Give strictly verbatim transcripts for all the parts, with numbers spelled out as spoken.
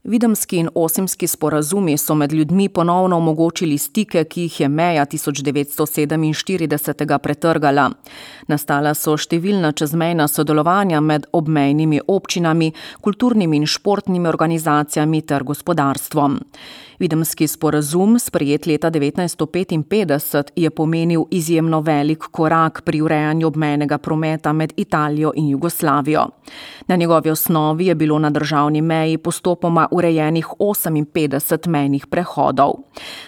Videmski in Osimski sporazumi so med ljudmi ponovno omogočili stike, ki jih je meja tisoč devetsto sedeminštirideset pretrgala. Nastala so številna čezmejna sodelovanja med obmejnimi občinami, kulturnimi in športnimi organizacijami ter gospodarstvom. Videmski sporazum, sprejet leta devetnajststo petinpetdeset, je pomenil izjemno velik korak pri urejanju obmejnega prometa med Italijo in Jugoslavijo. Na njegovi osnovi je bilo na državni meji postopoma urejenih oseminpetdeset mejnih prehodov.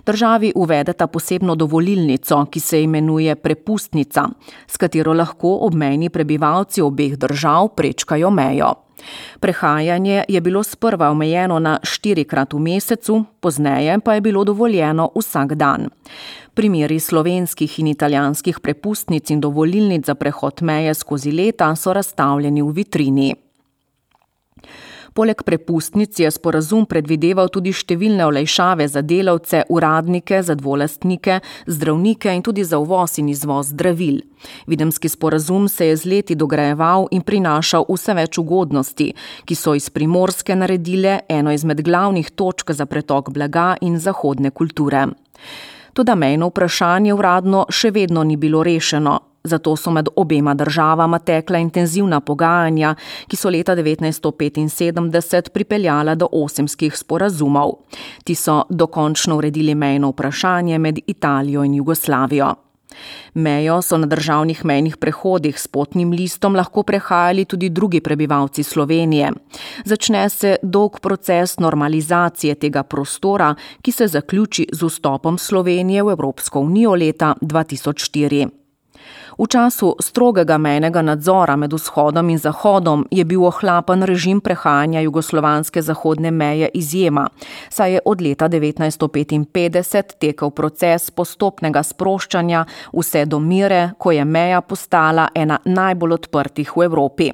Državi uvedeta posebno dovolilnico, ki se imenuje prepustnica, s katero lahko obmejni prebivalci obeh držav prečkajo mejo. Prehajanje je bilo sprva omejeno na štirikrat v mesecu, pozneje pa je bilo dovoljeno vsak dan. Primeri slovenskih in italijanskih prepustnic in dovolilnic za prehod meje skozi leta so razstavljeni v vitrini. Poleg prepustnic je sporazum predvideval tudi številne olajšave za delavce, uradnike, za dvolastnike, zdravnike in tudi za uvoz in izvoz zdravil. Videmski sporazum se je z leti dograjeval in prinašal vse več ugodnosti, ki so iz Primorske naredile eno izmed glavnih točk za pretok blaga in zahodne kulture. Toda mejno vprašanje uradno še vedno ni bilo rešeno. Zato so med obema državama tekla intenzivna pogajanja, ki so leta devetnajststo petinsedemdeset pripeljala do Osimskih sporazumov. Ti so dokončno uredili mejno vprašanje med Italijo in Jugoslavijo. Mejo so na državnih mejnih prehodih s potnim listom lahko prehajali tudi drugi prebivalci Slovenije. Začne se dolg proces normalizacije tega prostora, ki se zaključi z vstopom Slovenije v Evropsko unijo leta dva tisoč štiri. V času strogega mejnega nadzora med vzhodom in zahodom je bil ohlapen režim prehajanja jugoslovanske zahodne meje izjema, saj je od leta devetnajststo petinpetdeset tekel proces postopnega sproščanja vse do mere, ko je meja postala ena najbolj odprtih v Evropi.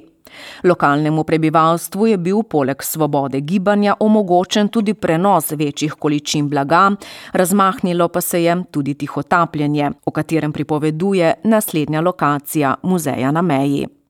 Lokalnemu prebivalstvu je bil poleg svobode gibanja omogočen tudi prenos večjih količin blaga, razmahnilo pa se je tudi tihotapljenje, o katerem pripoveduje naslednja lokacija muzeja na meji.